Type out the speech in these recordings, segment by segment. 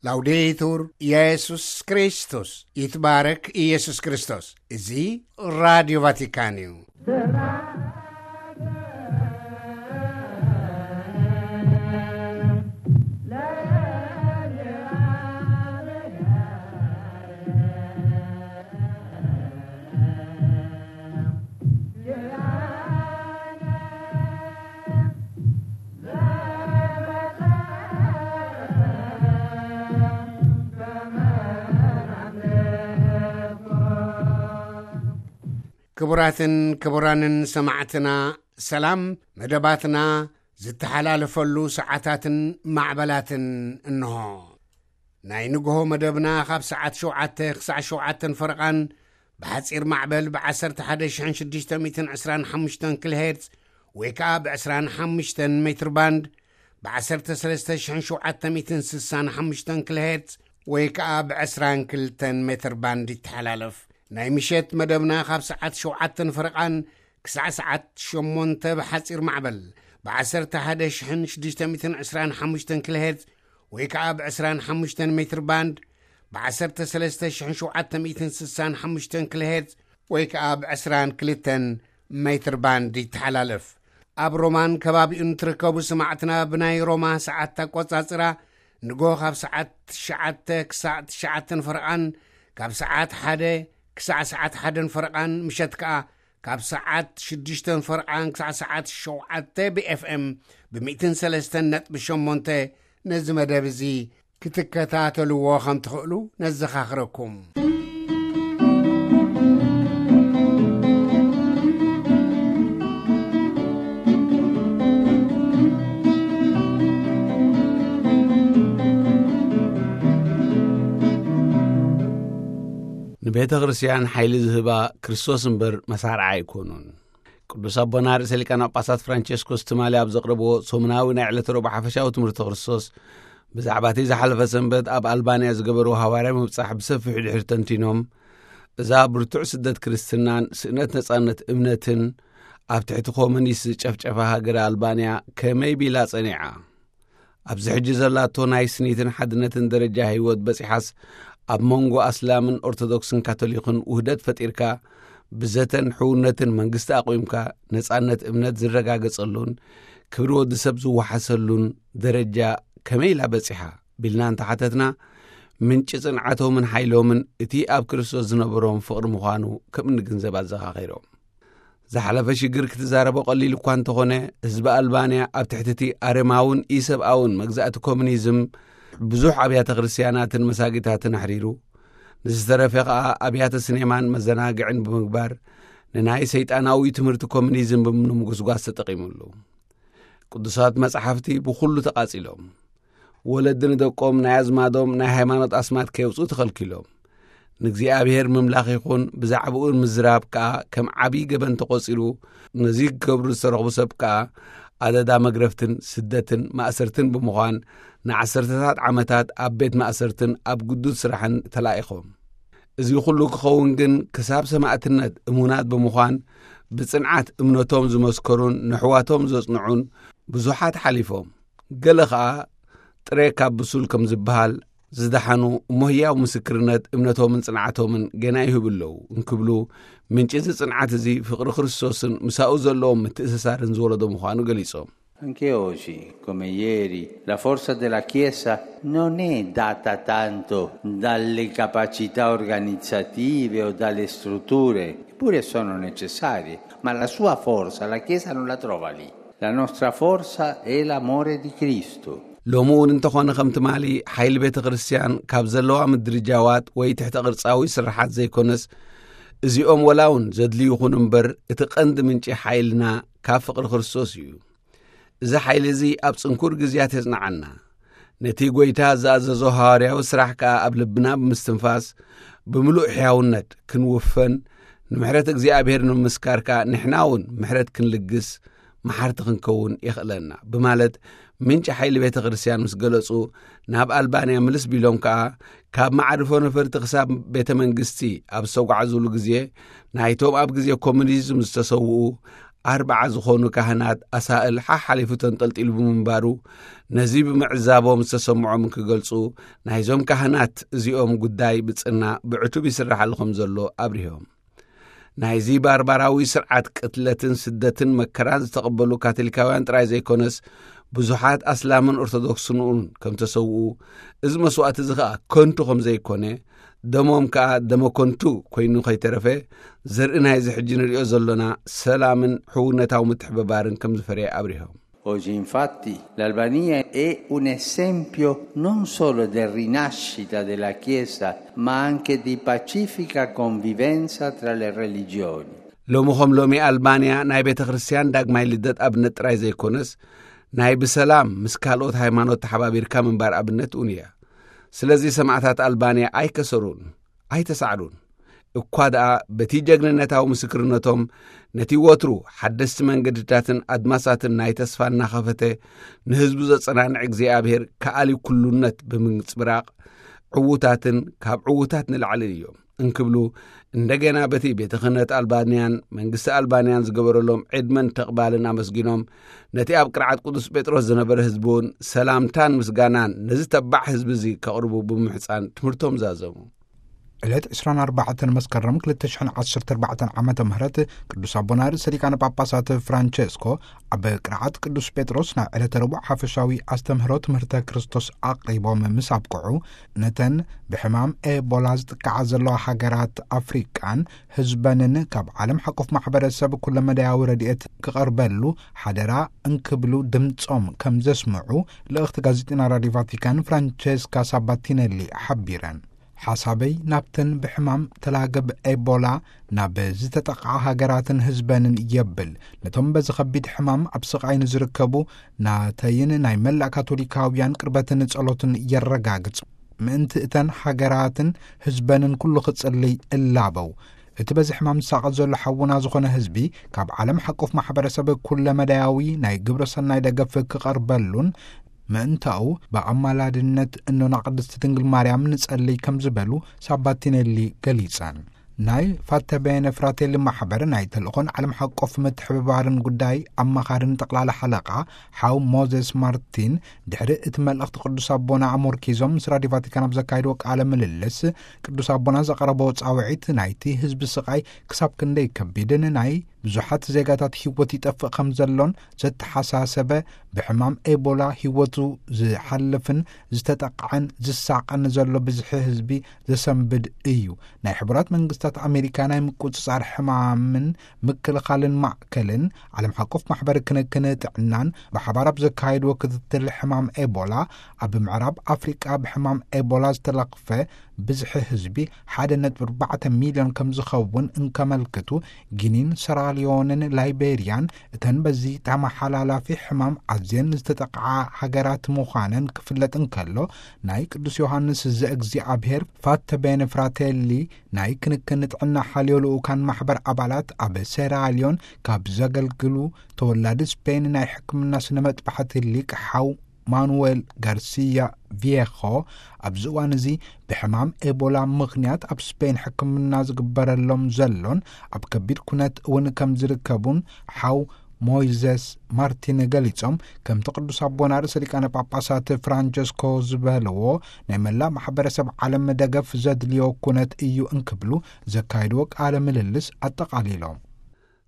ላውዴቱር ኢየሱስ ክርስቶስ፣ ይትባረክ ኢየሱስ ክርስቶስ። እዚ ራዲዮ ቫቲካን እዩ። ክቡራትን ክቡራንን ሰማዕትና፣ ሰላም። መደባትና ዝተሓላለፈሉ ሰዓታትን ማዕበላትን እንሆ። ናይ ንግሆ መደብና ካብ ሰዓት ሸውዓተ ክሳዕ ሸውዓተን ፈረቓን ብሓጺር ማዕበል ብ11,625 ኪሎ ሄርትዝ ወይ ከኣ ብ25 ሜትር ባንድ ብ ዓሰርተ ሰለስተ ሽሕን ሸውዓተ ሚእትን ስሳን ሓሙሽተን ኪሎ ሄርትዝ ወይ ከኣ ብ ዕስራን ክልተን ሜትር ባንድ ይተሓላለፍ። ናይ ምሸት መደብና ካብ ሰዓት ሸውዓተን ፈረቓን ክሳዕ ሰዓት ሸሞንተ ብሓጺር ማዕበል ብ11,625 ኪሎ ሄርትዝ ወይ ከኣ ብ ዕስራን ሓሙሽተን ሜትር ባንድ ብ13,765 ኪሎ ሄርትዝ ወይ ከኣ ብ ዕስራን ክልተን ሜትር ባንድ ይተሓላለፍ። ኣብ ሮማን ከባቢኡን ትርከቡ ሰማዕትና፣ ብናይ ሮማ ሰዓት ኣቆጻጽራ ንጎ ካብ ሰዓት ትሽዓተ ክሳዕ ትሽዓተን ፈረቓን፣ ካብ ሰዓት ሓደ ክሳዕ ሰዓት ሓደን ፈረቓን፣ ምሸት ከኣ ካብ ሰዓት ሽዱሽተን ፈረቓን ክሳዕ ሰዓት ሸውዓተ ብ ኤፍ ኤም ብ ሚእትን ሰለስተን ነጥቢ ሸሞንተ ነዚ መደብ እዚ ክትከታተልዎ ከም ትኽእሉ ነዘኻኽረኩም። ንቤተ ክርስቲያን ሓይሊ ዝህባ ክርስቶስ እምበር መሳርዓ ኣይኮኑን። ቅዱስ ኣቦና ርእሰ ሊቃነ ጳጳሳት ፍራንቸስኮስ ትማሊ ኣብ ዘቕረብዎ ሰሙናዊ ናይ ዕለተ ረቡዕ ሓፈሻዊ ትምህርቲ ክርስቶስ፣ ብዛዕባ እቲ ዝሓለፈ ሰንበት ኣብ ኣልባንያ ዝገበርዎ ሃዋርያዊ ምብጻሕ ብሰፊሑ ድሕሪ ተንቲኖም፣ እዛ ብርቱዕ ስደት ክርስትናን ስእነት ነጻነት እምነትን ኣብ ትሕቲ ኮሙኒስት ዝጨፍጨፋ ሃገረ ኣልባንያ ከመይ ቢላ ጸኒዓ? ኣብዚ ሕጂ ዘላቶ ናይ ስኒትን ሓድነትን ደረጃ ህይወት በጺሓስ፣ ኣብ መንጎ ኣስላምን ኦርቶዶክስን ካቶሊክን ውህደት ፈጢርካ፣ ብዘተን ሕውነትን መንግስቲ ኣቑምካ፣ ነጻነት እምነት ዝረጋገጸሉን ክብሪ ወዲ ሰብ ዝወሓሰሉን ደረጃ ከመይ ኢላ በጺሓ? ቢልና እንተሓተትና፣ ምንጪ ጽንዓቶምን ሓይሎምን እቲ ኣብ ክርስቶስ ዝነበሮም ፍቕሪ ምዃኑ ከም እንግንዘብ ኣዘኻኺሮም። ዝሓለፈ ሽግር ክትዛረቦ ቀሊል እኳ እንተኾነ፣ ህዝቢ ኣልባንያ ኣብ ትሕቲ እቲ ኣረማውን ኢሰብኣውን መግዛእቲ ኮሙኒዝም ብዙሕ ኣብያተ ክርስትያናትን መሳጊታትን ኣሕሪሩ፣ ንዝተረፈ ከኣ ኣብያተ ስኔማን መዘናግዕን ብምግባር፣ ንናይ ሰይጣናዊ ትምህርቲ ኮሙኒዝም ብምንምጉስጓስ ተጠቒሙሉ። ቅዱሳት መጻሕፍቲ ብኹሉ ተቓጺሎም። ወለዲ ንደቆም ናይ ኣዝማዶም ናይ ሃይማኖት ኣስማት ከየውጽኡ ተኸልኪሎም። ንእግዚኣብሔር ምምላኽ ይኹን ብዛዕባኡ ምዝራብ ከኣ ከም ዓብዪ ገበን ተቖጺሩ፣ ነዚ ክገብሩ ዝተረኽቡ ሰብ ከኣ ኣደዳ መግረፍትን ስደትን ማእሰርትን ብምዃን፣ ንዓሰርተታት ዓመታት ኣብ ቤት ማእሰርትን ኣብ ግዱድ ስራሕን ተላኢኾም። እዚ ኩሉ ክኸውን ግን ክሳብ ሰማእትነት እሙናት ብምዃን፣ ብጽንዓት እምነቶም ዝመስከሩን ንሕዋቶም ዘጽንዑን ብዙሓት ሓሊፎም። ገለ ኸኣ ጥሬ ካብ ብሱል ከም ዝበሃል ዝደሓኑ እሞ ህያው ምስክርነት እምነቶምን ጽንዓቶምን ገና ይህቡ ኣለዉ እንክብሉ፣ ምንጪ እዚ ጽንዓት እዚ ፍቕሪ ክርስቶስን ምሳኡ ዘለዎም ምትእስሳርን ዝወለዶ ምዃኑ ገሊጾም። Anche oggi, come ieri, la forza della Chiesa non è data tanto dalle capacità organizzative o dalle strutture, che pure sono necessarie, ma la sua forza la Chiesa non la trova lì. La nostra forza è l'amore di Cristo. ሎሚ እውን እንተኾነ ከም ትማሊ ሓይሊ ቤተ ክርስቲያን ካብ ዘለዋ ምድርጃዋት ወይ ትሕተ ቅርጻዊ ስርሓት ዘይኮነስ፣ እዚኦም ወላ እውን ዘድልዩ ይኹኑ እምበር፣ እቲ ቀንዲ ምንጪ ሓይልና ካብ ፍቕሪ ክርስቶስ እዩ። እዚ ሓይሊ እዚ ኣብ ጽንኩር ግዜያት የጽንዓና። ነቲ ጐይታ ዝኣዘዞ ሃዋርያዊ ስራሕ ከኣ ኣብ ልብና ብምስትንፋስ፣ ብምሉእ ሕያውነት ክንውፈን፣ ንምሕረት እግዚኣብሔር ንምምስካር ከኣ ንሕና እውን ምሕረት ክንልግስ፣ መሓርቲ ክንከውን የኽእለና ብማለት ምንጪ ሓይሊ ቤተ ክርስቲያን ምስ ገለጹ፣ ናብ ኣልባንያ ምልስ ቢሎም ከኣ፣ ካብ መዓርፎ ነፈርቲ ክሳብ ቤተ መንግስቲ ኣብ ዝተጓዕዙሉ ግዜ፣ ናይቶም ኣብ ግዜ ኮሙኒዝም ዝተሰውኡ ኣርባዓ ዝኾኑ ካህናት ኣሳእል ሓሓሊፉ ተንጠልጢሉ ብምንባሩ፣ ነዚ ብምዕዛቦም ዝተሰምዖም ክገልጹ፣ ናይዞም ካህናት እዚኦም ጉዳይ ብጽና ብዕቱብ ይስራሓሉ ከም ዘሎ ኣብሪሆም። ናይዚ ባርባራዊ ስርዓት ቅትለትን ስደትን መከራን ዝተቐበሉ ካቶሊካውያን ጥራይ ዘይኮነስ፣ ብዙሓት ኣስላምን ኦርቶዶክስን እውን ከም ተሰውኡ፣ እዚ መስዋእቲ እዚ ኸኣ ከንቱ ከም ዘይኮነ፣ ደሞም ከኣ ደመ ከንቱ ኮይኑ ከይተረፈ፣ ዘርኢ ናይዚ ሕጂ ንሪኦ ዘሎና ሰላምን ሕውነታዊ ምትሕብባርን ከም ዝፈረየ ኣብሪሆም። Oggi infatti l'Albania è un esempio non solo di rinascita della Chiesa, ma anche di pacifica convivenza tra le religioni. ሎሚ ከም ሎሚ ኣልባንያ ናይ ቤተ ክርስቲያን ዳግማይ ልደት ኣብነት ጥራይ ዘይኮነስ፣ ናይ ብሰላም ምስ ካልኦት ሃይማኖት ተሓባቢርካ ምንባር ኣብነት እውን እያ። ስለዚ ሰማዕታት ኣልባንያ ኣይከሰሩን፣ ኣይተሳዕሩን። እኳ ደኣ በቲ ጀግንነታዊ ምስክርነቶም ነቲ ወትሩ ሓደስቲ መንገድታትን ኣድማሳትን ናይ ተስፋ እናኸፈተ ንህዝቡ ዘጸናንዕ እግዚኣብሔር ከኣሊ ኩሉነት ብምንጽብራቕ ዕዉታትን ካብ ዕዉታት ንላዕልን እዮም እንክብሉ፣ እንደገና በቲ ቤተ ክህነት ኣልባንያን መንግስቲ ኣልባንያን ዝገበረሎም ዕድመን ተቕባልን ኣመስጊኖም፣ ነቲ ኣብ ቅርዓት ቅዱስ ጴጥሮስ ዝነበረ ህዝቢ እውን ሰላምታን ምስጋናን ነዚ ተባዕ ህዝቢ እዚ ከቕርቡ ብምሕፃን ትምህርቶም ዛዘሙ። ዕለት ዕስራን ኣርባዕተን መስከረም ክልተ ሽሕን ዓሰርተ ኣርባዕተን ዓመተ ምህረት ቅዱስ ኣቦና ርእሰ ሊቃነ ጳጳሳት ፍራንቸስኮ ኣብ ቅርዓት ቅዱስ ጴጥሮስ ናይ ዕለተ ረቡዕ ሓፈሻዊ ኣስተምህሮ ትምህርተ ክርስቶስ ኣቕሪቦም ምስ ኣብቅዑ፣ ነተን ብሕማም ኤቦላ ዝጥቃዓ ዘለዋ ሃገራት ኣፍሪቃን ህዝበንን ካብ ዓለም ሓቆፍ ማሕበረሰብ ኩለመዳያዊ ረድኤት ክቐርበሉ ሓደራ እንክብሉ ድምጾም ከም ዘስምዑ ልእኽቲ ጋዜጠና ራዲዮ ቫቲካን ፍራንቸስካ ሳባቲነሊ ሓቢረን። ሓሳበይ ናብተን ብሕማም ተላገብ ኤቦላ ናብ ዝተጠቕዓ ሃገራትን ህዝበንን የብል። ነቶም በዚ ከቢድ ሕማም ኣብ ስቓይ ንዝርከቡ ናተይን ናይ መላእ ካቶሊካውያን ቅርበትን ጸሎትን የረጋግጽ። ምእንቲ እተን ሃገራትን ህዝበንን ኩሉ ክጽልይ እላበው። እቲ በዚ ሕማም ዝሳቐ ዘሎ ሓውና ዝኾነ ህዝቢ ካብ ዓለም ሓቆፍ ማሕበረሰብ ኩለመዳያዊ ናይ ግብረ ሰናይ ደገፍ ክቐርበሉን ምእንታኡ ብኣማላድነት እኖና ቅድስቲ ድንግል ማርያም ንጸልይ ከም ዝበሉ ሳባቲኔሊ ገሊጸን። ናይ ፋተቤነ ፍራቴሊ ማሕበር ናይ ተልእኾን ዓለም ሓቆፍ ምትሕብባርን ጉዳይ ኣማኻርን ጠቕላላ ሓለቓ ሓው ሞዘስ ማርቲን ድሕሪ እቲ መልእኽቲ ቅዱስ ኣቦና ኣሞርኪዞም ምስ ራዲዮ ቫቲካን ኣብ ዘካየድዎ ቃለ ምልልስ፣ ቅዱስ ኣቦና ዘቐረበዎ ጻውዒት ናይቲ ህዝቢ ስቓይ ክሳብ ክንደይ ከቢድን ናይ ብዙሓት ዜጋታት ህይወት ይጠፍእ ከም ዘሎን ዘተሓሳሰበ፣ ብሕማም ኤቦላ ህይወቱ ዝሓልፍን ዝተጠቕዐን ዝሳቐን ዘሎ ብዝሒ ህዝቢ ዘሰንብድ እዩ። ናይ ሕቡራት መንግስታት ኣሜሪካ ናይ ምቁጽጻር ሕማምን ምክልኻልን ማእከልን ዓለም ሓቆፍ ማሕበር ክንክን ጥዕናን ብሓባር ኣብ ዘካየድዎ ክትትል ሕማም ኤቦላ፣ ኣብ ምዕራብ ኣፍሪቃ ብሕማም ኤቦላ ዝተለኽፈ ብዝሒ ህዝቢ ሓደ ነጥቢ ኣርባዕተ ሚልዮን ከም ዝኸውን እንከመልክቱ፣ ጊኒን ሰራሊዮንን ላይቤርያን እተን በዚ ተመሓላላፊ ሕማም ኣዝየን ዝተጠቕዓ ሃገራት ምዃነን ክፍለጥ እንከሎ፣ ናይ ቅዱስ ዮሃንስ ዘእግዚኣብሔር ፋተቤነ ፍራቴሊ ናይ ክንክን ጥዕና ሓልዮ ልኡካን ማሕበር ኣባላት ኣብ ሴራሊዮን ካብ ዘገልግሉ ተወላዲ ስፔን ናይ ሕክምና ስነ መጥባሕቲ ሊቅ ሓው ማኑዌል ጋርሲያ ቪየኾ፣ ኣብዚ እዋን እዚ ብሕማም ኤቦላ ምኽንያት ኣብ ስፔን ሕክምና ዝግበረሎም ዘሎን ኣብ ከቢድ ኩነት እውን ከም ዝርከቡን ሓው ሞይዘስ ማርቲን ገሊጾም፣ ከምቲ ቅዱስ ኣቦና ርእሰ ሊቃነ ጳጳሳት ፍራንቸስኮ ዝበልዎ፣ ናይ መላእ ማሕበረሰብ ዓለም ደገፍ ዘድልዮ ኩነት እዩ እንክብሉ ዘካየድዎ ቃለ ምልልስ ኣጠቓሊሎም።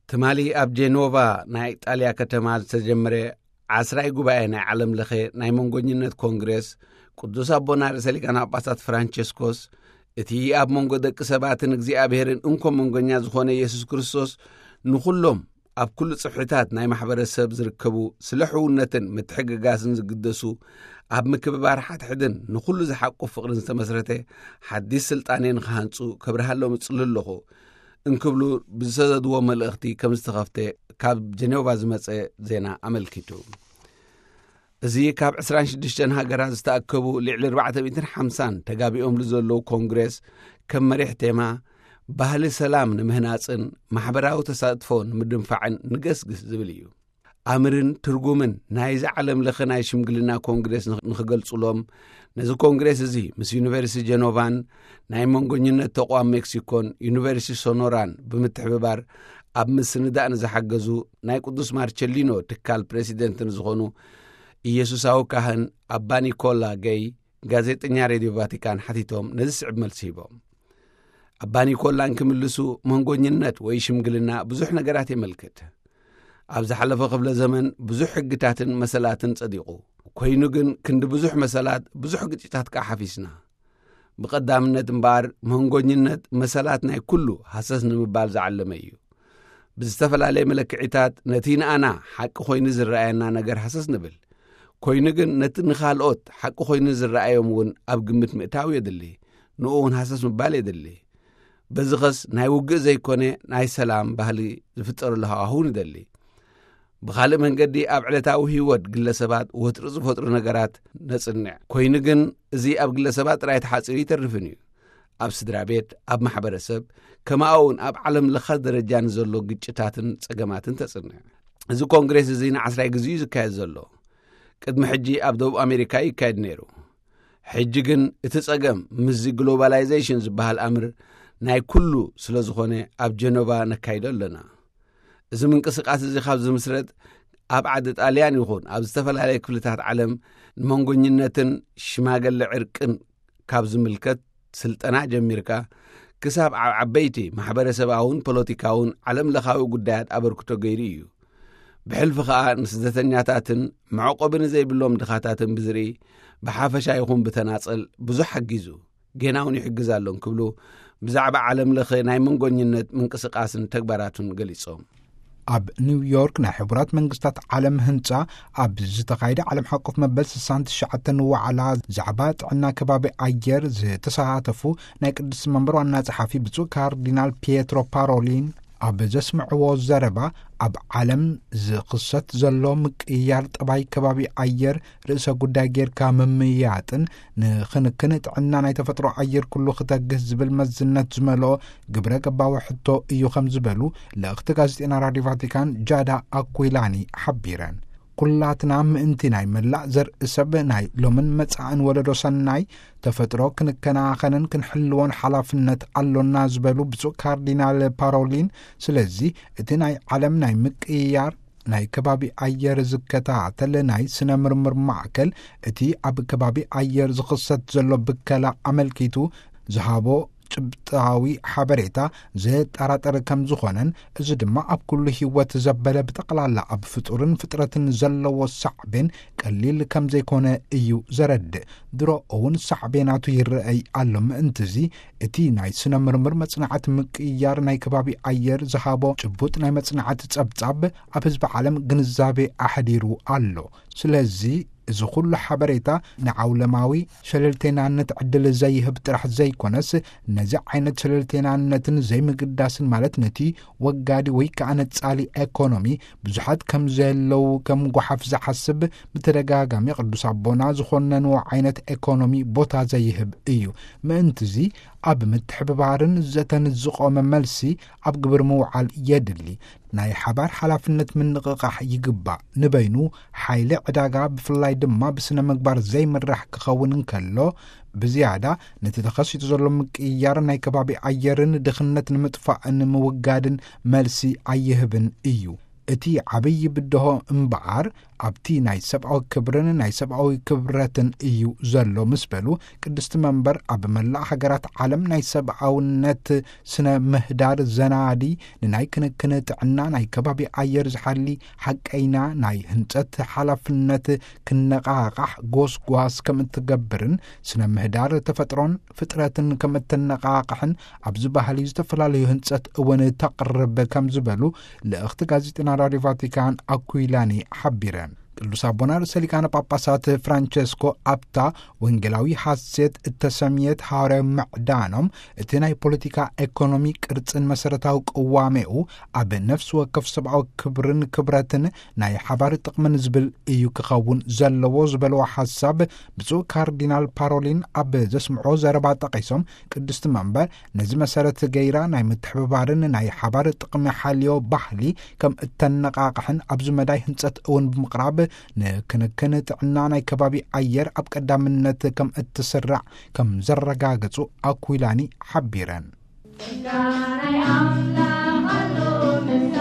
ትማሊ ኣብ ጄኖቫ ናይ ኢጣልያ ከተማ ዝተጀመረ ዓስራይ ጉባኤ ናይ ዓለም ለኸ ናይ መንጎኝነት ኮንግሬስ፣ ቅዱስ ኣቦና ርእሰ ሊቃነ ጳጳሳት ፍራንቸስኮስ፣ እቲ ኣብ መንጎ ደቂ ሰባትን እግዚኣብሔርን እንኮ መንጎኛ ዝኾነ የሱስ ክርስቶስ፣ ንኹሎም ኣብ ኩሉ ጽፍሕታት ናይ ማሕበረሰብ ዝርከቡ፣ ስለ ሕውነትን ምትሕግጋዝን ዝግደሱ፣ ኣብ ምክብባር ሓድሕድን ንኹሉ ዝሓቁፍ ፍቕርን ዝተመስረተ ሓዲስ ስልጣኔ ንኽሃንጹ ከብርሃሎም እጽሊ ኣለኹ እንክብሉ ብዝሰደድዎ መልእኽቲ ከም ዝተኸፍተ ካብ ጀኔቫ ዝመጸ ዜና ኣመልኪቱ። እዚ ካብ ዕስራን ሽዱሽተን ሃገራት ዝተኣከቡ ልዕሊ ኣርባዕተ ሚእትን ሓምሳን ተጋቢኦምሉ ዘለዉ ኮንግሬስ፣ ከም መሪሕ ቴማ፣ ባህሊ ሰላም ንምህናጽን ማሕበራዊ ተሳትፎ ንምድንፋዕን ንገስግስ ዝብል እዩ። ኣምርን ትርጉምን ናይዚ ዓለም ለኸ ናይ ሽምግልና ኮንግሬስ ንኽ-፣ ንኽገልጹሎም፣ ነዚ ኮንግሬስ እዚ ምስ ዩኒቨርሲቲ ጀኖቫን ናይ መንጎኝነት ተቋም ሜክሲኮን ዩኒቨርሲቲ ሶኖራን ብምትሕብባር ኣብ ምስንዳእ ንዝሓገዙ ናይ ቅዱስ ማርቸሊኖ ትካል ፕሬሲደንት ንዝኾኑ ኢየሱሳዊ ካህን ኣባ ኒኮላ ገይ ጋዜጠኛ ሬድዮ ቫቲካን ሓቲቶም ነዚ ስዕብ መልሲ ሂቦም። ኣባ ኒኮላ እንክምልሱ፣ መንጎኝነት ወይ ሽምግልና ብዙሕ ነገራት የመልክት። ኣብ ዝሓለፈ ክፍለ ዘመን ብዙሕ ሕግታትን መሰላትን ጸዲቑ። ኮይኑ ግን ክንዲ ብዙሕ መሰላት ብዙሕ ግጭታት ከኣ ሓፊስና። ብቐዳምነት እምበኣር መንጎኝነት መሰላት ናይ ኩሉ ሃሰስ ንምባል ዝዓለመ እዩ። ብዝተፈላለየ መለክዒታት ነቲ ንኣና ሓቂ ኮይኑ ዝረኣየና ነገር ሃሰስ ንብል። ኮይኑ ግን ነቲ ንኻልኦት ሓቂ ኮይኑ ዝረኣዮም እውን ኣብ ግምት ምእታው የድሊ፣ ንኡ እውን ሃሰስ ምባል የድሊ። በዚ ኸስ ናይ ውግእ ዘይኮነ ናይ ሰላም ባህሊ ዝፍጠረሉ ሃዋህው ንደሊ። ብኻልእ መንገዲ ኣብ ዕለታዊ ህይወት ግለሰባት ወትሪ ዝፈጥሩ ነገራት ነጽንዕ። ኮይኑ ግን እዚ ኣብ ግለሰባት ጥራይ ተሓጺሩ ይተርፍን እዩ። ኣብ ስድራ ቤት፣ ኣብ ማሕበረሰብ፣ ከምኡ እውን ኣብ ዓለም ለኸ ደረጃ ንዘሎ ግጭታትን ጸገማትን ተጽንዕ። እዚ ኮንግሬስ እዚ ንዓስራይ ግዜ እዩ ዝካየድ ዘሎ። ቅድሚ ሕጂ ኣብ ደቡብ ኣሜሪካ ይካየድ ነይሩ። ሕጂ ግን እቲ ጸገም ምስዚ ግሎባላይዜሽን ዝበሃል ኣምር ናይ ኩሉ ስለ ዝኾነ ኣብ ጀኖቫ ነካይዶ ኣለና። እዚ ምንቅስቃስ እዚ ካብ ዝምስረት ኣብ ዓዲ ጣልያን ይኹን ኣብ ዝተፈላለየ ክፍልታት ዓለም ንመንጎኝነትን ሽማገለ ዕርቅን ካብ ዝምልከት ስልጠና ጀሚርካ ክሳብ ኣብ ዓበይቲ ማሕበረሰባውን ፖለቲካውን ዓለም ለኻዊ ጉዳያት ኣበርክቶ ገይሩ እዩ። ብሕልፊ ኸኣ ንስደተኛታትን መዕቆቢ ንዘይብሎም ድኻታትን ብዝርኢ ብሓፈሻ ይኹን ብተናጸል ብዙሕ ሓጊዙ፣ ጌና እውን ይሕግዝ ኣሎ እንክብሉ ብዛዕባ ዓለም ለኸ ናይ መንጎኝነት ምንቅስቃስን ተግባራቱን ገሊጾም። ኣብ ኒውዮርክ ናይ ሕቡራት መንግስታት ዓለም ህንጻ ኣብ ዝተኻየደ ዓለም ሓቆፍ መበል ስሳን ትሽዓተን ዋዕላ ዛዕባ ጥዕና ከባቢ ኣየር ዝተሳተፉ ናይ ቅድስቲ መንበር ዋና ጸሓፊ ብፁዕ ካርዲናል ፒየትሮ ፓሮሊን ኣብ ዘስምዕዎ ዘረባ፣ ኣብ ዓለም ዝኽሰት ዘሎ ምቅይያር ጠባይ ከባቢ ኣየር ርእሰ ጉዳይ ጌርካ ምምያጥን ንኽንክን ጥዕና ናይ ተፈጥሮ ኣየር ኩሉ ክተግህ ዝብል መዝነት ዝመልኦ ግብረ ገባዊ ሕቶ እዩ ከም ዝበሉ ልእኽቲ ጋዜጠኛ ራድዮ ቫቲካን ጃዳ ኣኩይላኒ ሓቢረን። ኩላትና ምእንቲ ናይ መላእ ዘርኢ ሰብ ናይ ሎምን መጻእን ወለዶ ሰናይ ተፈጥሮ ክንከናኸንን ክንሕልዎን ሓላፍነት ኣሎና ዝበሉ ብፁዕ ካርዲናል ፓሮሊን፣ ስለዚ እቲ ናይ ዓለም ናይ ምቅይያር ናይ ከባቢ ኣየር ዝከታተል ናይ ስነ ምርምር ማዕከል እቲ ኣብ ከባቢ ኣየር ዝኽሰት ዘሎ ብከላ ኣመልኪቱ ዝሃቦ ጭብጣዊ ሓበሬታ ዘጠራጠር ከም ዝኾነን፣ እዚ ድማ ኣብ ኩሉ ህይወት ዘበለ ብጠቕላላ ኣብ ፍጡርን ፍጥረትን ዘለዎ ሳዕቤን ቀሊል ከም ዘይኮነ እዩ ዘረድእ። ድሮ እውን ሳዕቤናቱ ይረኣይ ኣሎ። ምእንትዚ እቲ ናይ ስነ ምርምር መጽናዕቲ ምቅይያር ናይ ከባቢ ኣየር ዝሃቦ ጭቡጥ ናይ መጽናዕቲ ጸብጻብ ኣብ ህዝቢ ዓለም ግንዛቤ ኣሕዲሩ ኣሎ። ስለዚ እዚ ኩሉ ሓበሬታ ንዓውለማዊ ሸለልተይናነት ዕድል ዘይህብ ጥራሕ ዘይኮነስ፣ ነዚ ዓይነት ሸለልተይናነትን ዘይምግዳስን፣ ማለት ነቲ ወጋዲ ወይ ከኣ ነጻሊ ኤኮኖሚ ብዙሓት ከም ዘለዉ ከም ጓሓፍ ዝሓስብ ብተደጋጋሚ ቅዱስ ኣቦና ዝኾነንዎ ዓይነት ኤኮኖሚ ቦታ ዘይህብ እዩ። ምእንትዚ ኣብ ምትሕብባርን ዘተን ዝቖመ መልሲ ኣብ ግብሪ ምውዓል የድሊ። ናይ ሓባር ሓላፍነት ምንቕቓሕ ይግባእ። ንበይኑ ሓይሊ ዕዳጋ ብፍላይ ድማ ብስነ ምግባር ዘይምራሕ ክኸውን እንከሎ፣ ብዝያዳ ነቲ ተኸሲቱ ዘሎ ምቅይያር ናይ ከባቢ ኣየርን ድኽነት ንምጥፋእን ምውጋድን መልሲ ኣይህብን እዩ። እቲ ዓብዪ ብድሆ እምበኣር ኣብቲ ናይ ሰብኣዊ ክብርን ናይ ሰብኣዊ ክብረትን እዩ ዘሎ ምስ በሉ፣ ቅድስቲ መንበር ኣብ መላእ ሃገራት ዓለም ናይ ሰብኣውነት ስነ ምህዳር ዘናዲ ንናይ ክንክን ጥዕና ናይ ከባቢ ኣየር ዝሓሊ ሓቀይና ናይ ህንጸት ሓላፍነት ክነቓቓሕ ጎስጓስ ከም እትገብርን ስነ ምህዳር ተፈጥሮን ፍጥረትን ከም እተነቓቕሕን ኣብዚ ባህሊ ዝተፈላለዩ ህንጸት እውን ተቕርብ ከም ዝበሉ ልእኽቲ ጋዜጠና ራድዮ ቫቲካን ኣኩይላኒ ሓቢረን። ቅዱስ ኣቦና ርእሰ ሊቃነ ጳጳሳት ፍራንቸስኮ ኣብታ ወንጌላዊ ሓሴት እተሰምየት ሃዋርያዊ ምዕዳኖም፣ እቲ ናይ ፖለቲካ ኤኮኖሚ ቅርጽን መሰረታዊ ቅዋሜኡ ኣብ ነፍሲ ወከፍ ሰብኣዊ ክብርን ክብረትን ናይ ሓባር ጥቕምን ዝብል እዩ ክኸውን ዘለዎ ዝበለዎ ሓሳብ ብፁዕ ካርዲናል ፓሮሊን ኣብ ዘስምዖ ዘረባ ጠቒሶም፣ ቅድስቲ መንበር ነዚ መሰረት ገይራ ናይ ምትሕብባርን ናይ ሓባር ጥቕሚ ሓልዮ ባህሊ ከም እተነቓቕሕን ኣብዚ መዳይ ህንጸት እውን ብምቕራብ ንክንክን ጥዕና ናይ ከባቢ ኣየር ኣብ ቀዳምነት ከም እትስራዕ ከም ዘረጋገጹ ኣኩይላኒ ሓቢረን። ጸጋ ናይ ኣምላኽ ኣሎ ምስ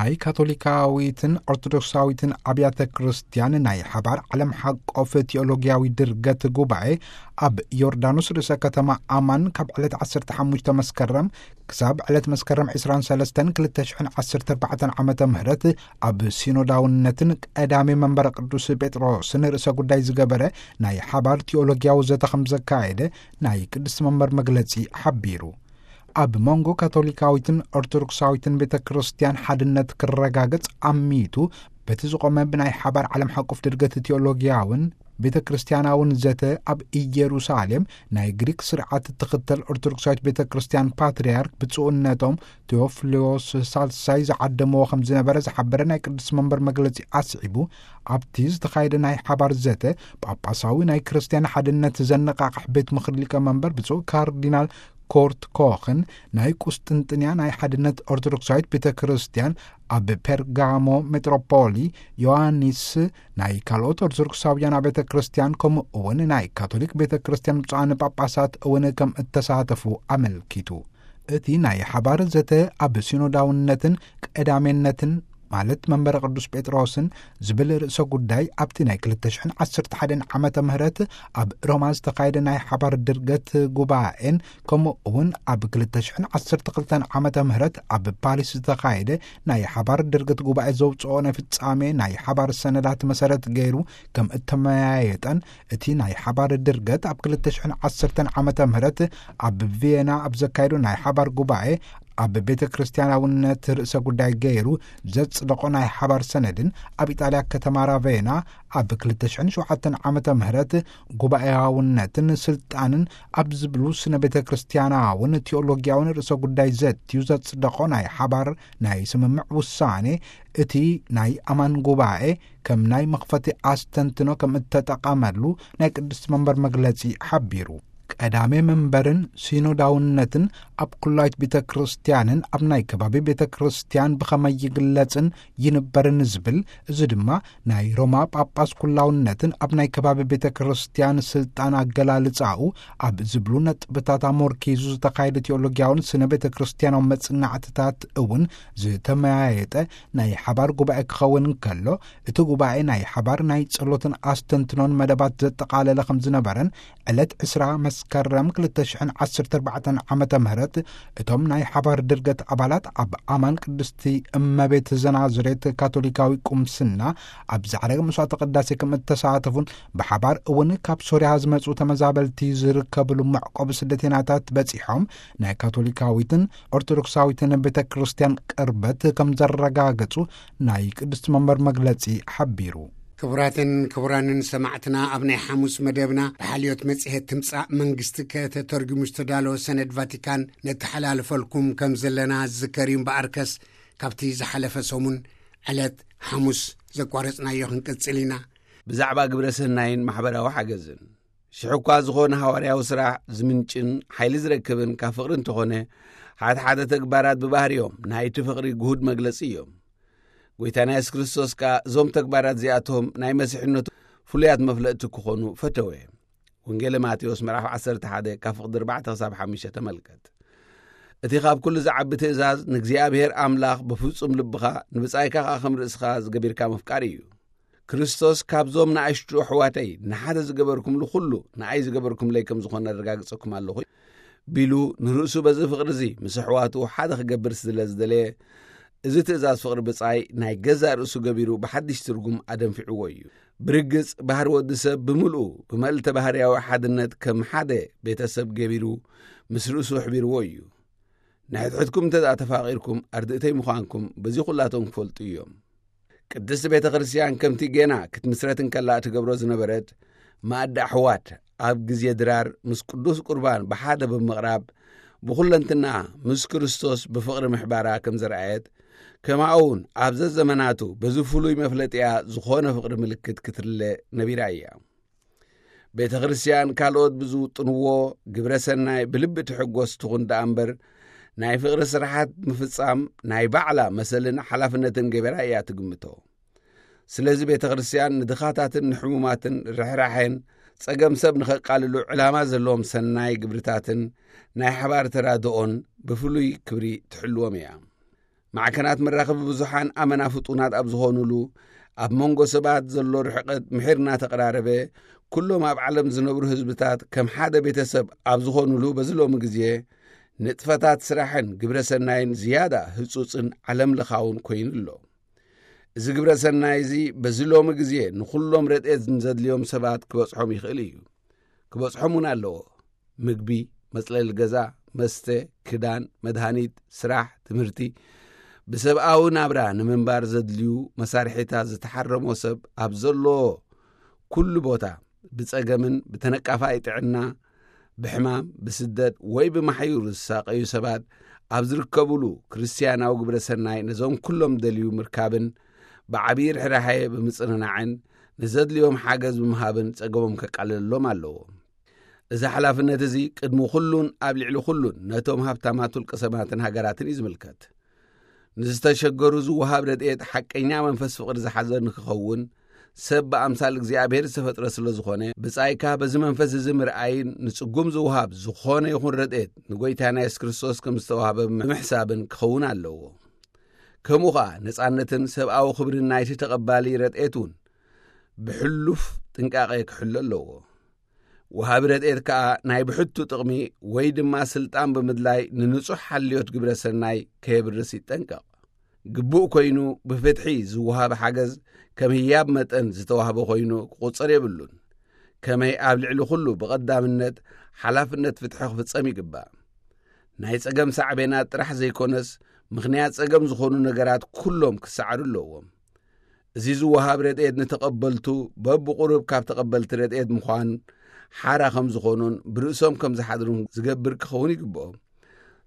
ናይ ካቶሊካዊትን ኦርቶዶክሳዊትን ኣብያተ ክርስቲያን ናይ ሓባር ዓለም ሓቆፍ ቴኦሎጊያዊ ድርገት ጉባኤ ኣብ ዮርዳኖስ ርእሰ ከተማ ኣማን ካብ ዕለት ዓሰርተ ሓሙሽተ መስከረም ክሳብ ዕለት መስከረም ዕስራን ሰለስተን ክልተ ሽሕን ዓሰርተ ኣርባዕተን ዓመተ ምህረት ኣብ ሲኖዳውነትን ቀዳሚ መንበረ ቅዱስ ጴጥሮስን ርእሰ ጉዳይ ዝገበረ ናይ ሓባር ቴኦሎጊያዊ ዘተ ከም ዘካየደ ናይ ቅድስቲ መንበር መግለጺ ሓቢሩ። ኣብ መንጎ ካቶሊካዊትን ኦርቶዶክሳዊትን ቤተ ክርስቲያን ሓድነት ክረጋገጽ ኣሚቱ በቲ ዝቖመ ብናይ ሓባር ዓለም ሓቆፍ ድርገት ቴኦሎጊያውን ቤተ ክርስቲያናውን ዘተ ኣብ ኢየሩሳሌም ናይ ግሪክ ስርዓት እትኽተል ኦርቶዶክሳዊት ቤተ ክርስቲያን ፓትርያርክ ብፁዕነቶም ቴዎፍሎስ ሳልሳይ ዝዓደምዎ ከም ዝነበረ ዝሓበረ ናይ ቅዱስ መንበር መግለጺ ኣስዒቡ፣ ኣብቲ ዝተኻየደ ናይ ሓባር ዘተ ጳጳሳዊ ናይ ክርስቲያን ሓድነት ዘነቓቕሕ ቤት ምኽሪ ሊቀ መንበር ብፁዕ ካርዲናል ኮርት ኮኽን ናይ ቁስጥንጥንያ ናይ ሓድነት ኦርቶዶክሳዊት ቤተ ክርስቲያን ኣብ ፔርጋሞ ሜትሮፖሊ ዮሃንስ ናይ ካልኦት ኦርቶዶክሳውያን ኣብያተ ክርስቲያን ከምኡ እውን ናይ ካቶሊክ ቤተ ክርስቲያን ብፁዓን ጳጳሳት እውን ከም እተሳተፉ ኣመልኪቱ። እቲ ናይ ሓባር ዘተ ኣብ ሲኖዳውነትን ቀዳሜነትን ማለት መንበረ ቅዱስ ጴጥሮስን ዝብል ርእሰ ጉዳይ ኣብቲ ናይ ክልተ ሽሕን ዓሰርተ ሓደን ዓመተ ምህረት ኣብ ሮማ ዝተኻየደ ናይ ሓባር ድርገት ጉባኤን ከምኡ እውን ኣብ ክልተ ሽሕን ዓሰርተ ክልተን ዓመተ ምህረት ኣብ ፓሪስ ዝተኻየደ ናይ ሓባር ድርገት ጉባኤ ዘውፅኦ ናይ ፍጻሜ ናይ ሓባር ሰነዳት መሰረት ገይሩ ከም እተመያየጠን እቲ ናይ ሓባር ድርገት ኣብ ክልተ ሽሕን ዓሰርተን ዓመተ ምህረት ኣብ ቪየና ኣብ ዘካየዶ ናይ ሓባር ጉባኤ ኣብ ቤተ ክርስቲያናውነት ርእሰ ጉዳይ ገይሩ ዘጽደቖ ናይ ሓባር ሰነድን ኣብ ኢጣልያ ከተማ ራቬና ኣብ ክልተ ሽሕን ሸውዓተን ዓመተ ምህረት ጉባኤያውነትን ስልጣንን ኣብ ዝብሉ ስነ ቤተ ክርስቲያናውን ቴኦሎጊያውን ርእሰ ጉዳይ ዘትዩ ዘጽደቖ ናይ ሓባር ናይ ስምምዕ ውሳኔ እቲ ናይ ኣማን ጉባኤ ከም ናይ መኽፈቲ ኣስተንትኖ ከም እተጠቐመሉ ናይ ቅድስቲ መንበር መግለጺ ሓቢሩ። ቀዳሜ መንበርን ሲኖዳውነትን ኣብ ኩላዊት ቤተ ክርስቲያንን ኣብ ናይ ከባቢ ቤተ ክርስቲያን ብኸመይ ይግለጽን ይንበርን ዝብል፣ እዚ ድማ ናይ ሮማ ጳጳስ ኩላውነትን ኣብ ናይ ከባቢ ቤተ ክርስቲያን ስልጣን ኣገላልጻኡ ኣብ ዝብሉ ነጥብታት ኣሞርኪዙ ዝተኻየደ ቴኦሎጊያውን ስነ ቤተ ክርስቲያናዊ መጽናዕትታት እውን ዝተመያየጠ ናይ ሓባር ጉባኤ ክኸውን እንከሎ፣ እቲ ጉባኤ ናይ ሓባር ናይ ጸሎትን ኣስተንትኖን መደባት ዘጠቓለለ ከም ዝነበረን ዕለት ዕስራ መስከረም ክልተ ሽሕን ዓሰርተ ኣርባዕተን ዓመተ ምህረት እቶም ናይ ሓባር ድርገት ኣባላት ኣብ ኣማን ቅድስቲ እመቤት ዘናዝሬት ካቶሊካዊ ቁምስና ኣብ ዛዕረገ መስዋዕተ ቅዳሴ ከም እተሳተፉን ብሓባር እውን ካብ ሶርያ ዝመጹ ተመዛበልቲ ዝርከብሉ መዕቆቢ ስደተኛታት በጺሖም ናይ ካቶሊካዊትን ኦርቶዶክሳዊትን ቤተ ክርስቲያን ቅርበት ከም ዘረጋገጹ ናይ ቅድስቲ መንበር መግለጺ ሓቢሩ። ክቡራትን ክቡራንን ሰማዕትና፣ ኣብ ናይ ሓሙስ መደብና ብሓልዮት መጽሔት ትምጻእ መንግስቲ ከተተርጉሙ ዝተዳለወ ሰነድ ቫቲካን ነተሓላልፈልኩም ከም ዘለና ዝዝከር እዩ። እምበኣርከስ፣ ካብቲ ዝሓለፈ ሰሙን ዕለት ሓሙስ ዘቋረጽናዮ ክንቅጽል ኢና። ብዛዕባ ግብረ ሰናይን ማሕበራዊ ሓገዝን። ሽሕ እኳ ዝኾነ ሃዋርያዊ ስራሕ ዝምንጭን ሓይሊ ዝረክብን ካብ ፍቕሪ እንተኾነ፣ ሓደ ሓደ ተግባራት ብባህሪኦም ናይቲ ፍቕሪ ግሁድ መግለጺ እዮም። ጐይታና የሱስ ክርስቶስ ከኣ እዞም ተግባራት እዚኣቶም ናይ መሲሕነቱ ፍሉያት መፍለጥቲ ክኾኑ ፈተወ። ወንጌለ ማቴዎስ ምዕራፍ ዓሰርተ ሓደ ካብ ፍቕዲ ኣርባዕተ ክሳብ ሓሙሽተ ተመልከት። እቲ ካብ ኩሉ ዝዓቢ ትእዛዝ ንእግዚኣብሔር ኣምላኽ ብፍጹም ልብኻ ንብጻይካ ከኣ ከም ርእስኻ ዝገቢርካ ምፍቃር እዩ። ክርስቶስ ካብዞም ንኣሽቱ ኣሕዋተይ ንሓደ ዝገበርኩምሉ ኩሉ ንኣይ ዝገበርኩምለይ ከም ዝኾነ ኣረጋግጸኩም ኣለኹ ቢሉ ንርእሱ በዚ ፍቕሪ እዚ ምስ ኣሕዋቱ ሓደ ክገብር ስለ ዝደለየ፣ እዚ ትእዛዝ ፍቕሪ ብጻይ ናይ ገዛእ ርእሱ ገቢሩ ብሓድሽ ትርጉም ኣደንፊዕዎ እዩ። ብርግጽ ባህሪ ወዲ ሰብ ብምልኡ ብመልተ ባህርያዊ ሓድነት ከም ሓደ ቤተሰብ ገቢሩ ምስ ርእሱ ኣሕቢርዎ እዩ። ንሕድሕድኩም እንተ ደኣ ተፋቒርኩም ኣርድእተይ ምዃንኩም በዚ ኩላቶም ክፈልጡ እዮም። ቅድስቲ ቤተ ክርስቲያን ከምቲ ጌና ክትምስረት እንከላ እትገብሮ ዝነበረት፣ ማእዲ ኣሕዋት ኣብ ግዜ ድራር ምስ ቅዱስ ቁርባን ብሓደ ብምቕራብ፣ ብኹለንትና ምስ ክርስቶስ ብፍቕሪ ምሕባራ ከም ዘርኣየት፣ ከማኡውን ኣብ ዘዘመናቱ በዚ ፍሉይ መፍለጢኣ ዝኾነ ፍቕሪ ምልክት ክትርለ ነቢራ እያ። ቤተ ክርስቲያን ካልኦት ብዝውጥንዎ ግብረ ሰናይ ብልቢ ትሕጎስ ትኹን ደኣ እምበር፣ ናይ ፍቕሪ ስራሓት ምፍጻም ናይ ባዕላ መሰልን ሓላፍነትን ገበራ እያ ትግምቶ። ስለዚ ቤተ ክርስቲያን ንድኻታትን ንሕሙማትን ርሕራሐን ጸገም ሰብ ንኸቃልሉ ዕላማ ዘለዎም ሰናይ ግብርታትን ናይ ሓባር ተራድኦን ብፍሉይ ክብሪ ትሕልዎም እያ። ማዕከናት መራኸቢ ብዙሓን ኣመና ፍጡናት ኣብ ዝኾኑሉ፣ ኣብ መንጎ ሰባት ዘሎ ርሕቀት ምሒር እናተቐራረበ፣ ኩሎም ኣብ ዓለም ዝነብሩ ህዝብታት ከም ሓደ ቤተሰብ ኣብ ዝኾኑሉ፣ በዚ ሎሚ ግዜ ንጥፈታት ስራሕን ግብረ ሰናይን ዝያዳ ህጹጽን ዓለም ለኻውን ኮይኑ ኣሎ። እዚ ግብረ ሰናይ እዚ በዚ ሎሚ ግዜ ንኹሎም ረድኤት ንዘድልዮም ሰባት ክበጽሖም ይኽእል እዩ። ክበጽሖም እውን ኣለዎ። ምግቢ፣ መጽለሊ ገዛ፣ መስተ፣ ክዳን፣ መድሃኒት፣ ስራሕ፣ ትምህርቲ፣ ብሰብኣዊ ናብራ ንምንባር ዘድልዩ መሳርሒታት ዝተሓረሞ ሰብ ኣብ ዘለዎ ኩሉ ቦታ፣ ብጸገምን ብተነቃፋይ ጥዕና፣ ብሕማም፣ ብስደት ወይ ብማሕዩር ዝሳቐዩ ሰባት ኣብ ዝርከቡሉ፣ ክርስትያናዊ ግብረ ሰናይ ነዞም ኩሎም ደልዩ ምርካብን ብዓብዪ ርሕራሐ ብምጽንናዕን ንዘድልዮም ሓገዝ ብምሃብን ጸገሞም ከቃልለሎም ኣለዎ። እዚ ሓላፍነት እዚ ቅድሚ ኩሉን ኣብ ልዕሊ ኩሉን ነቶም ሃብታማት ውልቀ ሰባትን ሃገራትን እዩ ዝምልከት። ንዝተሸገሩ ዝወሃብ ረድኤት ሓቀኛ መንፈስ ፍቕሪ ዝሓዘ ንክኸውን፣ ሰብ ብኣምሳል እግዚኣብሔር ዝተፈጥረ ስለ ዝኾነ፣ ብጻይካ በዚ መንፈስ እዚ ምርኣይን ንጽጉም ዝወሃብ ዝኾነ ይኹን ረድኤት ንጎይታና የሱስ ክርስቶስ ከም ዝተዋህበ ብምሕሳብን ክኸውን ኣለዎ። ከምኡ ኸኣ ነጻነትን ሰብኣዊ ክብርን ናይቲ ተቐባሊ ረድኤት እውን ብሕሉፍ ጥንቃቐ ክሕሎ ኣለዎ። ወሃቢ ረድኤት ከኣ ናይ ብሕቱ ጥቕሚ ወይ ድማ ስልጣን ብምድላይ ንንጹሕ ሓልዮት ግብረ ሰናይ ከየብርስ ይጠንቀቕ። ግቡእ ኮይኑ ብፍትሒ ዝወሃብ ሓገዝ ከም ህያብ መጠን ዝተዋህበ ኮይኑ ክቑጸር የብሉን። ከመይ ኣብ ልዕሊ ኩሉ ብቐዳምነት ሓላፍነት ፍትሒ ክፍጸም ይግባእ። ናይ ጸገም ሳዕቤናት ጥራሕ ዘይኮነስ፣ ምኽንያት ጸገም ዝኾኑ ነገራት ኩሎም ክሰዓሩ ኣለዎም። እዚ ዝወሃብ ረድኤት ንተቐበልቱ በብቑሩብ ካብ ተቐበልቲ ረድኤት ምዃን ሓራ ከም ዝኾኑን ብርእሶም ከም ዝሓድሩን ዝገብር ክኸውን ይግብኦ።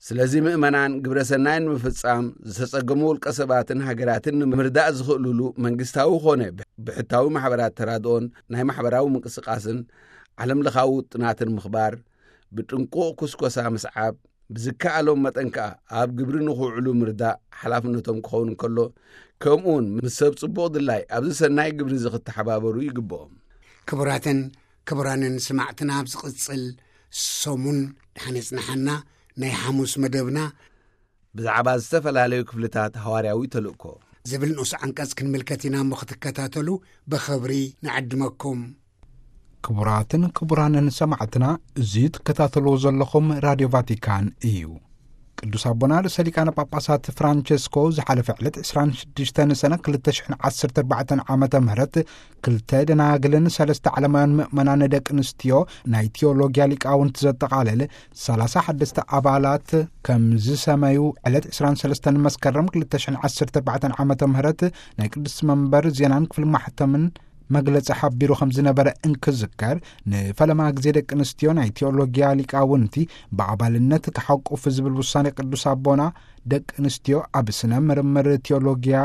ስለዚ ምእመናን ግብረ ሰናይ ንምፍጻም ዝተጸገሙ ውልቀ ሰባትን ሃገራትን ንምርዳእ ዝኽእሉሉ መንግስታዊ ኾነ ብሕታዊ ማሕበራት ተራድኦን ናይ ማሕበራዊ ምንቅስቃስን ዓለም ለኻዊ ውጥናትን ምኽባር፣ ብጥንቁቕ ኩስኮሳ ምስዓብ፣ ብዝከኣሎም መጠን ከኣ ኣብ ግብሪ ንኽውዕሉ ምርዳእ ሓላፍነቶም ክኸውን እንከሎ፣ ከምኡውን ምስ ሰብ ጽቡቕ ድላይ ኣብዚ ሰናይ ግብሪ እዚ ክተሓባበሩ ይግብኦም። ክቡራትን ክቡራንን ስማዕትና፣ ኣብ ዝቕጽል ሰሙን ደሓን የጽንሓና ናይ ሓሙስ መደብና ብዛዕባ ዝተፈላለዩ ክፍልታት ሃዋርያዊ ተልእኮ ዝብል ንኡስ ዓንቀጽ ክንምልከት ኢና እሞ ክትከታተሉ ብኽብሪ ንዕድመኩም። ክቡራትን ክቡራንን ሰማዕትና፣ እዚ ትከታተልዎ ዘለኹም ራድዮ ቫቲካን እዩ። ቅዱስ ኣቦና ርእሰ ሊቃነ ጳጳሳት ፍራንቸስኮ ዝሓለፈ ዕለት ዕስራን ሽዱሽተን ሰነ ክልተ ሽሕን ዓሰርተ ኣርባዕተን ዓመተ ምህረት ክልተ ደናግልን ሰለስተ ዓለማውያን ምእመናን ደቂ ኣንስትዮ ናይ ቴዎሎጊያ ሊቃውንቲ ዘጠቓልል ሰላሳ ሓደስተ ኣባላት ከም ዝሰመዩ ዕለት ዕስራን ሰለስተን መስከረም ክልተ ሽሕን ዓሰርተ ኣርባዕተን ዓመተ ምህረት ናይ ቅዱስ መንበር ዜናን ክፍሊ ማሕተምን መግለጺ ሓቢሩ ከም ዝነበረ እንክዝከር፣ ንፈለማ ግዜ ደቂ ኣንስትዮ ናይ ቴዎሎጊያ ሊቃውንቲ ብኣባልነት ክሓቁፍ ዝብል ውሳኔ ቅዱስ ኣቦና፣ ደቂ ኣንስትዮ ኣብ ስነ ምርምር ቴዎሎጊያ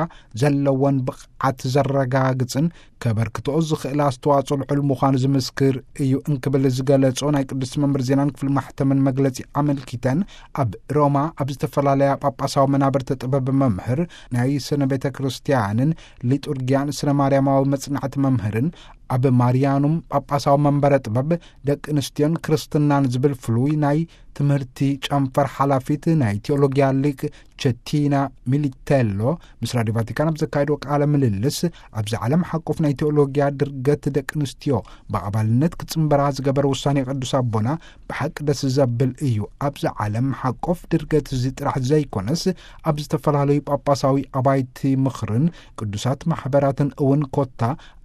ዘለወን ብቕዓት ዘረጋግጽን ከበርክትኦ ዝኽእል ኣስተዋጽኦ ልዑል ምዃኑ ዝምስክር እዩ እንክብል ዝገለጾ ናይ ቅዱስ መንበር ዜናን ክፍሊ ማሕተምን መግለጺ ኣመልኪተን፣ ኣብ ሮማ ኣብ ዝተፈላለያ ጳጳሳዊ መናብርቲ ጥበብ መምህር፣ ናይ ስነ ቤተ ክርስቲያንን ሊጡርጊያን ስነ ማርያማዊ መጽናዕቲ መምህርን፣ ኣብ ማርያኑም ጳጳሳዊ መንበረ ጥበብ ደቂ ኣንስትዮን ክርስትናን ዝብል ፍሉይ ናይ ትምህርቲ ጨንፈር ሓላፊት ናይ ቴዎሎጊያ ሊቅ ቸቲና ሚሊቴሎ ምስ ራድዮ ቫቲካን ኣብ ዘካየድዎ ቃለ ምልልስ፣ ኣብዚ ዓለም ሓቆፍ ናይ ቴዎሎጊያ ድርገት ደቂ ኣንስትዮ ብኣባልነት ክጽንበራ ዝገበረ ውሳኔ ቅዱስ ኣቦና ብሓቂ ደስ ዘብል እዩ። ኣብዚ ዓለም ሓቆፍ ድርገት እዚ ጥራሕ ዘይኮነስ፣ ኣብ ዝተፈላለዩ ጳጳሳዊ ኣባይቲ ምኽርን ቅዱሳት ማሕበራትን እውን ኮታ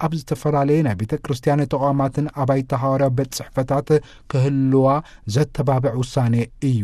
ኣብ ዝተፈላለየ ናይ ቤተ ክርስቲያን ተቋማትን ኣባይቲ ሃዋርያ ቤት ጽሕፈታት ክህልዋ ዘተባብዕ ውሳኔ እዩ።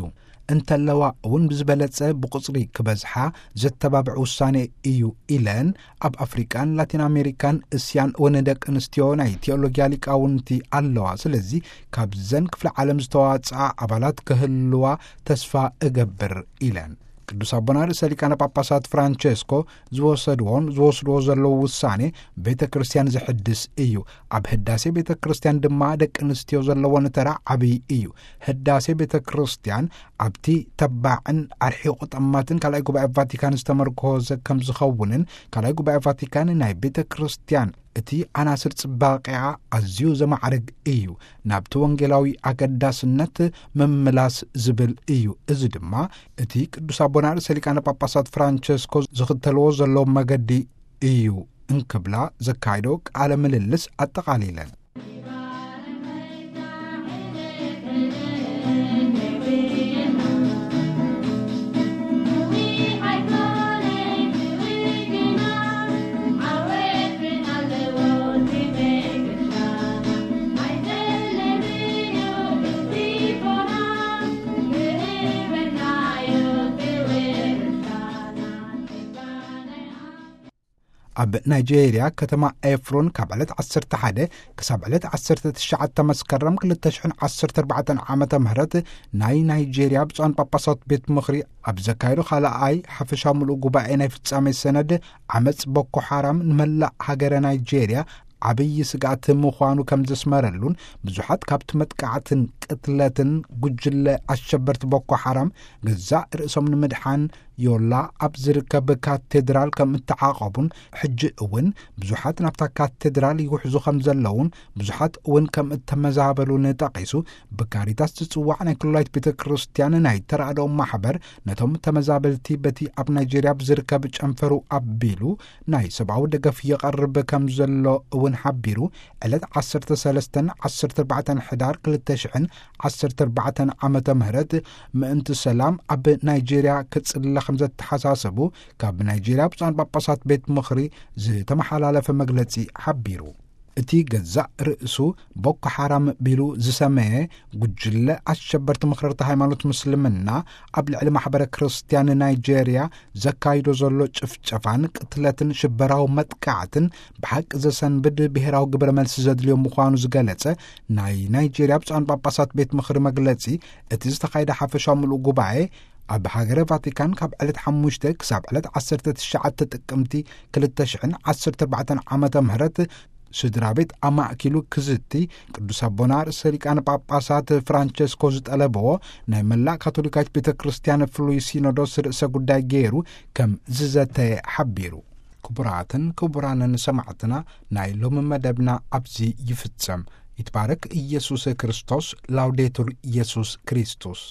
እንተለዋ እውን ብዝበለጸ ብቁጽሪ ክበዝሓ ዘተባብዕ ውሳኔ እዩ ኢለን፣ ኣብ ኣፍሪቃን ላቲን ኣሜሪካን እስያን እውን ደቂ ኣንስትዮ ናይ ቴዎሎጊያ ሊቃውንቲ ኣለዋ። ስለዚ ካብዘን ክፍለ ዓለም ዝተዋጽኣ ኣባላት ክህልዋ ተስፋ እገብር ኢለን። ቅዱስ ኣቦና ርእሰ ሊቃነ ጳጳሳት ፍራንቸስኮ ዝወሰድዎን ዝወስድዎ ዘለዉ ውሳኔ ቤተ ክርስቲያን ዝሕድስ እዩ። ኣብ ህዳሴ ቤተ ክርስቲያን ድማ ደቂ ኣንስትዮ ዘለወን ተራ ዓብዪ እዩ። ህዳሴ ቤተ ክርስቲያን ኣብቲ ተባዕን ኣርሒቑ ጠማትን ካልኣይ ጉባኤ ቫቲካን ዝተመርኮዘ ከም ዝኸውንን፣ ካልኣይ ጉባኤ ቫቲካን ናይ ቤተ ክርስቲያን እቲ ዓናስር ጽባቐኣ ኣዝዩ ዘማዕርግ እዩ፣ ናብቲ ወንጌላዊ ኣገዳስነት ምምላስ ዝብል እዩ። እዚ ድማ እቲ ቅዱስ ኣቦና ርእሰ ሊቃነ ጳጳሳት ፍራንቸስኮ ዝኽተልዎ ዘለዉ መገዲ እዩ እንክብላ ዘካየዶ ቃለ ምልልስ ኣጠቓሊለን። ኣብ ናይጄርያ ከተማ ኤፍሮን ካብ ዕለት ዓሰርተ ሓደ ክሳብ ዕለት ዓሰርተ ትሽዓተ መስከረም ክልተ ሽሕን ዓሰርተ ኣርባዕተን ዓመተ ምህረት ናይ ናይጄርያ ብፁዓን ጳጳሳት ቤት ምኽሪ ኣብ ዘካየዶ ካልኣይ ሓፈሻዊ ምሉእ ጉባኤ ናይ ፍጻሜ ሰነድ ዓመጽ ቦኮ ሓራም ንመላእ ሃገረ ናይጄርያ ዓብዪ ስግኣት ምዃኑ ከም ዘስመረሉን ብዙሓት ካብቲ መጥቃዕትን ቅትለትን ጉጅለ ኣሸበርቲ ቦኮ ሓራም ገዛእ ርእሶም ንምድሓን ዮላ ኣብ ዝርከብ ካቴድራል ከም እተዓቐቡን ሕጂ እውን ብዙሓት ናብታ ካቴድራል ይውሕዙ ከም ዘለውን ብዙሓት እውን ከም እተመዛበሉን ጠቒሱ፣ ብካሪታስ ዝጽዋዕ ናይ ክልላዊት ቤተ ክርስቲያን ናይ ተራድኦ ማሕበር ነቶም ተመዛበልቲ በቲ ኣብ ናይጄርያ ብዝርከብ ጨንፈሩ ኣቢሉ ናይ ሰብኣዊ ደገፍ ይቐርብ ከም ዘሎ እውን ሓቢሩ፣ ዕለት ዓሰርተ ሰለስተን ዓሰርተ ኣርባዕተን ሕዳር ክልተ ሽሕን ዓሰርተ ኣርባዕተን ዓመተ ምህረት ምእንቲ ሰላም ኣብ ናይጄርያ ክጽለ ከም ዘተሓሳሰቡ ካብ ናይጄርያ ብፁዓን ጳጳሳት ቤት ምኽሪ ዝተመሓላለፈ መግለጺ ሓቢሩ። እቲ ገዛእ ርእሱ ቦኮ ሓራም ቢሉ ዝሰመየ ጉጅለ ኣሸበርቲ ምኽርርቲ ሃይማኖት ምስልምና ኣብ ልዕሊ ማሕበረ ክርስትያን ናይጄርያ ዘካይዶ ዘሎ ጭፍጨፋን ቅትለትን ሽበራዊ መጥቃዕትን ብሓቂ ዘሰንብድ ብሄራዊ ግብረ መልሲ ዘድልዮ ምዃኑ ዝገለጸ ናይ ናይጄርያ ብፁዓን ጳጳሳት ቤት ምኽሪ መግለጺ፣ እቲ ዝተኻየደ ሓፈሻዊ ምሉእ ጉባኤ ኣብ ሃገረ ቫቲካን ካብ ዕለት ሓሙሽተ ክሳብ ዕለት ዓሰርተ ትሽዓተ ጥቅምቲ ክልተ ሽሕን ዓሰርተ ኣርባዕተን ዓመተ ምህረት ስድራ ቤት ኣማእኪሉ ክዝቲ፣ ቅዱስ ኣቦና ርእሰ ሊቃነ ጳጳሳት ፍራንቸስኮ ዝጠለብዎ ናይ መላእ ካቶሊካዊት ቤተ ክርስቲያን ፍሉይ ሲኖዶስ ርእሰ ጉዳይ ገይሩ ከም ዝዘተየ ሓቢሩ። ክቡራትን ክቡራንን ሰማዕትና፣ ናይ ሎሚ መደብና ኣብዚ ይፍጸም። ይትባረክ ኢየሱስ ክርስቶስ። ላውዴቱር ኢየሱስ ክርስቶስ።